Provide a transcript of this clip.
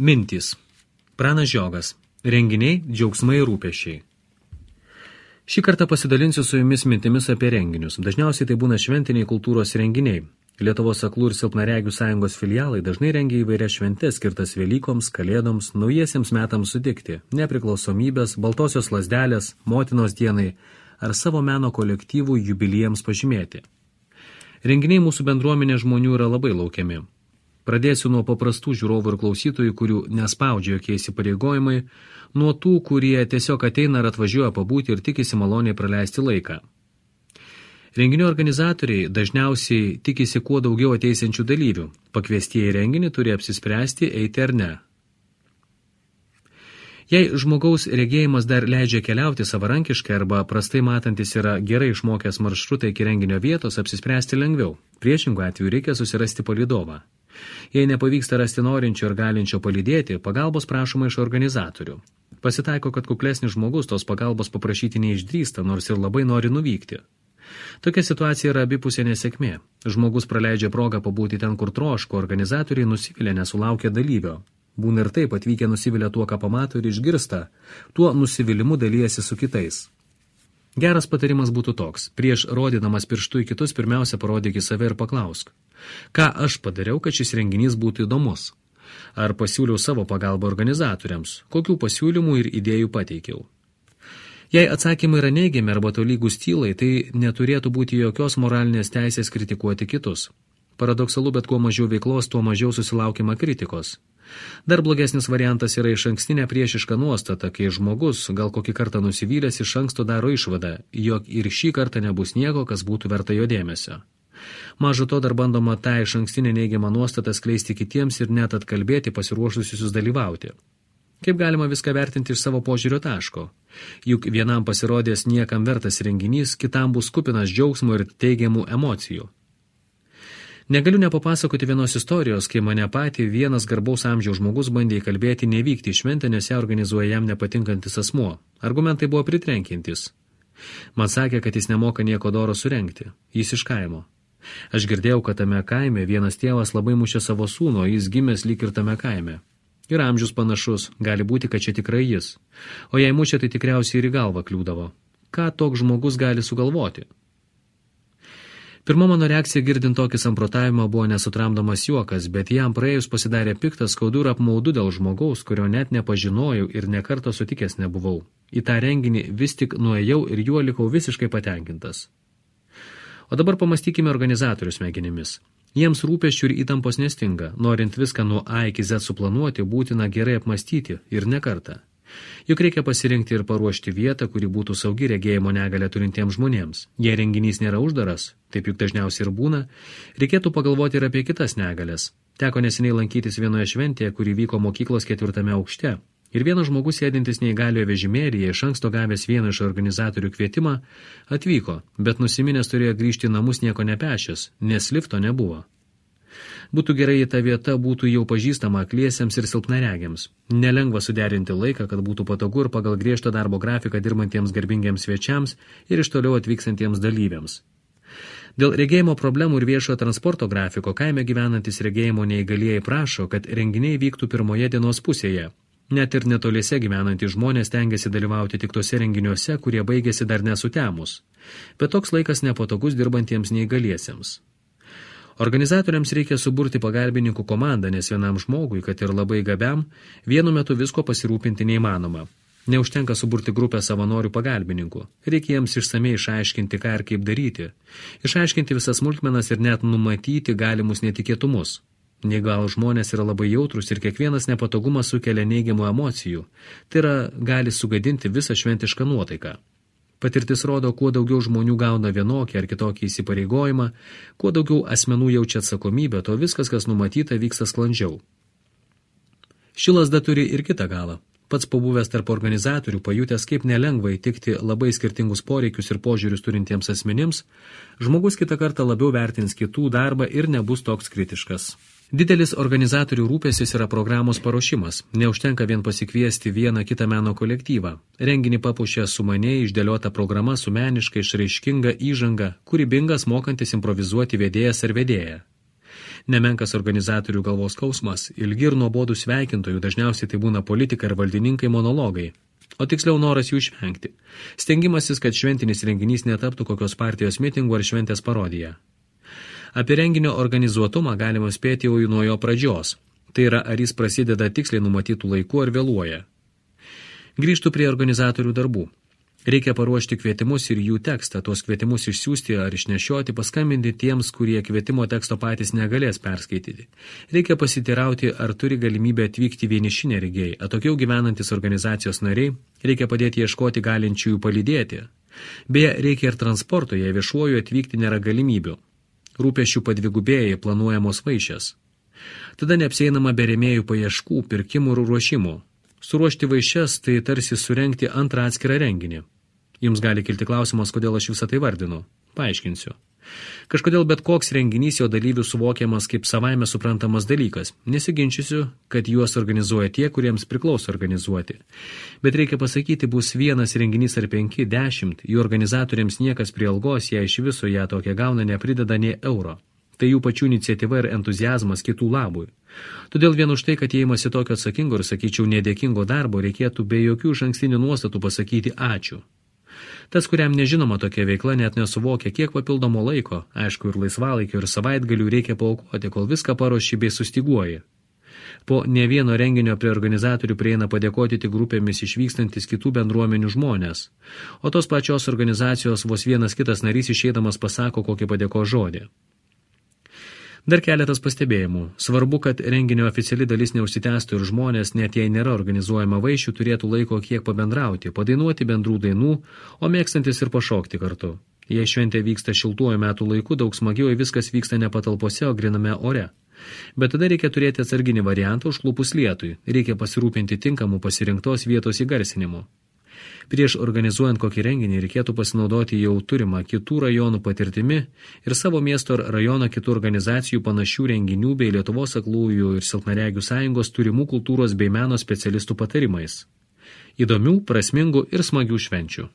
Mintys. Pranas Žiogas. Renginiai, džiaugsmai ir rūpesčiai. Šį kartą pasidalinsiu su jumis mintimis apie renginius. Dažniausiai tai būna šventiniai kultūros renginiai. Lietuvos aklų ir silpnaregių sąjungos filialai dažnai rengia įvairias šventes skirtas Velykoms, Kalėdoms, naujiesiems metams sutikti, nepriklausomybės, baltosios lazdelės, motinos dienai ar savo meno kolektyvų jubiliejams pažymėti. Renginiai mūsų bendruomenė žmonių yra labai laukiami. Pradėsiu nuo paprastų žiūrovų ir klausytojų, kurių nespaudžia jokie įsipareigojimai, nuo tų, kurie tiesiog ateina ar atvažiuoja pabūti ir tikisi maloniai praleisti laiką. Renginių organizatoriai dažniausiai tikisi kuo daugiau ateisiančių dalyvių. Pakviestieji renginį turi apsispręsti eiti ar ne. Jei žmogaus regėjimas dar leidžia keliauti savarankiškai arba prastai matantis yra gerai išmokęs maršrutą iki renginio vietos, apsispręsti lengviau. Priešingų atveju reikia susirasti palydovą. Jei nepavyksta rasti norinčio ir galinčio palydėti, pagalbos prašoma iš organizatorių. Pasitaiko, kad kuklesnis žmogus tos pagalbos paprašyti neišdrįsta, nors ir labai nori nuvykti. Tokia situacija yra abipusė nesėkmė. Žmogus praleidžia progą pabūti ten, kur troško, organizatoriai nusivilia nesulaukia dalyvio. Būna ir taip, atvykę nusivilia tuo, ką pamato ir išgirsta, tuo nusivylimu dalyjasi su kitais. Geras patarimas būtų toks: prieš rodydamas pirštu į kitus, pirmiausia parodyk į save ir paklausk, ką aš padariau, kad šis renginys būtų įdomus? Ar pasiūliau savo pagalbą organizatoriams? Kokių pasiūlymų ir idėjų pateikiau? Jei atsakymai yra neigiami arba tolygus tylai, tai neturėtų būti jokios moralinės teisės kritikuoti kitus. Paradoksalu, bet kuo mažiau veiklos, tuo mažiau susilaukima kritikos. Dar blogesnis variantas yra išankstinė priešiška nuostata, kai žmogus, gal kokį kartą nusivylęs, iš anksto daro išvadą, jog ir šį kartą nebus nieko, kas būtų verta jo dėmesio. Maža to dar bandoma tą išankstinę neigiamą nuostatą skleisti kitiems ir net atkalbėti pasiruošusius dalyvauti. Kaip galima viską vertinti iš savo požiūrio taško? Juk vienam pasirodės niekam vertas renginys, kitam bus kupinas džiaugsmo ir teigiamų emocijų. Negaliu nepapasakoti vienos istorijos, kai mane patį vienas garbaus amžiaus žmogus bandė įkalbėti nevykti į šventę, nes ją organizuoja jam nepatinkantis asmuo. Argumentai buvo pritrenkiantys. Man sakė, kad jis nemoka nieko doro surengti. Jis iš kaimo. Aš girdėjau, kad tame kaime vienas tėvas labai mušė savo sūnų, jis gimęs lyg ir tame kaime. Ir amžius panašus, gali būti, kad čia tikrai jis. O jei mušė, tai tikriausiai ir į galvą kliūdavo. Ką toks žmogus gali sugalvoti? Pirma mano reakcija girdint tokį samprotavimą buvo nesutramdomas juokas, bet jam praėjus pasidarė piktas, skaudu ir apmaudu dėl žmogaus, kurio net nepažinojau ir nekarto sutikęs nebuvau. Į tą renginį vis tik nuėjau ir juo likau visiškai patenkintas. O dabar pamastykime organizatorių smegenimis. Jiems rūpesčių ir įtampos nestinga. Norint viską nuo A iki Z suplanuoti, būtina gerai apmastyti ir ne kartą. Juk reikia pasirinkti ir paruošti vietą, kuri būtų saugi regėjimo negalią turintiems žmonėms. Jei renginys nėra uždaras, taip juk dažniausiai ir būna, reikėtų pagalvoti ir apie kitas negalias. Teko neseniai lankytis vienoje šventėje, kuri vyko mokyklos 4. aukšte. Ir vienas žmogus sėdintis neįgaliojo vežimėlyje, iš anksto gavęs vieną iš organizatorių kvietimą, atvyko, bet nusiminęs turėjo grįžti į namus nieko nepešęs, nes lifto nebuvo. Būtų gerai, jei ta vieta būtų jau pažįstama akliesiems ir silpnaregiams. Nelengva suderinti laiką, kad būtų patogu ir pagal griežtą darbo grafiką dirbantiems garbingiems svečiams ir iš toliau atvykstantiems dalyviams. Dėl regėjimo problemų ir viešojo transporto grafiko kaime gyvenantis regėjimo neįgalieji prašo, kad renginiai vyktų pirmoje dienos pusėje. Net ir netoliese gyvenantys žmonės tengiasi dalyvauti tik tose renginiuose, kurie baigėsi dar nesutemus. Bet toks laikas nepatogus dirbantiems neįgaliesiems. Organizatoriams reikia suburti pagalbininkų komandą, nes vienam žmogui, kad ir labai gabiam, vienu metu visko pasirūpinti neįmanoma. Neužtenka suburti grupę savanorių pagalbininkų. Reikia jiems išsamei išaiškinti, ką ir kaip daryti. Išaiškinti visas smulkmenas ir net numatyti galimus netikėtumus. Neįgalūs žmonės yra labai jautrus ir kiekvienas nepatogumas sukelia neigiamų emocijų. Tai yra, gali sugadinti visą šventišką nuotaiką. Patirtis rodo, kuo daugiau žmonių gauna vienokį ar kitokį įsipareigojimą, kuo daugiau asmenų jaučia atsakomybę, to viskas, kas numatyta, vyksta sklandžiau. Ši lazda turi ir kitą galą. Pats pabuvęs tarp organizatorių, pajutęs, kaip nelengva įtikti labai skirtingus poreikius ir požiūrius turintiems asmenims, žmogus kitą kartą labiau vertins kitų darbą ir nebus toks kritiškas. Didelis organizatorių rūpestis yra programos paruošimas. Neužtenka vien pasikviesti vieną kitą meno kolektyvą. Renginį papuošia sumaniai išdėliota programa su meniškai išraiškinga įžanga, kūrybingas mokantis improvizuoti vedėjas ar vedėja. Nemenkas organizatorių galvos skausmas, ilgi ir nuobodų sveikintojų, dažniausiai tai būna politikai ir valdininkai monologai, o tiksliau noras jų išvengti. Stengimasis, kad šventinis renginys netaptų kokios partijos mitingų ar šventės parodija. Apie renginio organizuotumą galima spėti jau nuo jo pradžios. Tai yra, ar jis prasideda tiksliai numatytų laiku ar vėluoja. Grįžtų prie organizatorių darbų. Reikia paruošti kvietimus ir jų tekstą, tuos kvietimus išsiųsti ar išnešioti, paskambinti tiems, kurie kvietimo teksto patys negalės perskaityti. Reikia pasitirauti, ar turi galimybę atvykti vieniši neregiai, atokiau gyvenantis organizacijos nariai, reikia padėti ieškoti galinčiųjų palydėti. Beje, reikia ir transporto, jei viešuoju atvykti nėra galimybių. Rūpesčių padvigubėjai, planuojamos vaišės. Tada neapsieinama be rėmėjų paieškų, pirkimų ir ruošimų. Suruošti vaišes tai tarsi surengti antrą atskirą renginį. Jums gali kilti klausimas, kodėl aš visą tai vardinu. Paaiškinsiu. Kažkodėl bet koks renginys jo dalyvių suvokiamas kaip savaime suprantamas dalykas. Nesiginčysiu, kad juos organizuoja tie, kuriems priklauso organizuoti. Bet reikia pasakyti, bus vienas renginys ar 5, 10, jų organizatoriams niekas prie algos, jei iš viso ją tokią gauna, neprideda nė euro. Tai jų pačių iniciatyva ir entuziazmas kitų labui. Todėl vien už tai, kad jie imasi tokio atsakingo ir, sakyčiau, nedėkingo darbo, reikėtų be jokių išankstinių nuostatų pasakyti ačiū. Tas, kuriam nežinoma tokia veikla, net nesuvokia, kiek papildomo laiko, aišku, ir laisvalaikio, ir savaitgalių reikia paaukoti, kol viską paruoši bei sustiguoji. Po ne vieno renginio prie organizatorių prieina padėkoti tik grupėmis išvykstantis kitų bendruomenių žmonės, o tos pačios organizacijos vos vienas kitas narys išeidamas pasako kokį padėko žodį. Dar keletas pastebėjimų. Svarbu, kad renginio oficiali dalis neužsitęstų ir žmonės, net jei nėra organizuojama vaišių, turėtų laiko kiek pabendrauti, padainuoti bendrų dainų, o mėgstantis ir pašokti kartu. Jei šventė vyksta šiltuoju metų laiku, daug smagiau viskas vyksta ne patalpose, o griname ore. Bet tada reikia turėti atsarginį variantą užklupus lietui. Reikia pasirūpinti tinkamų pasirinktos vietos įgarsinimu. Prieš organizuojant kokį renginį reikėtų pasinaudoti jau turimą kitų rajonų patirtimi ir savo miesto ar rajono kitų organizacijų panašių renginių bei Lietuvos aklųjų ir silpnaregių sąjungos turimų kultūros bei meno specialistų patarimais. Įdomių, prasmingų ir smagių švenčių.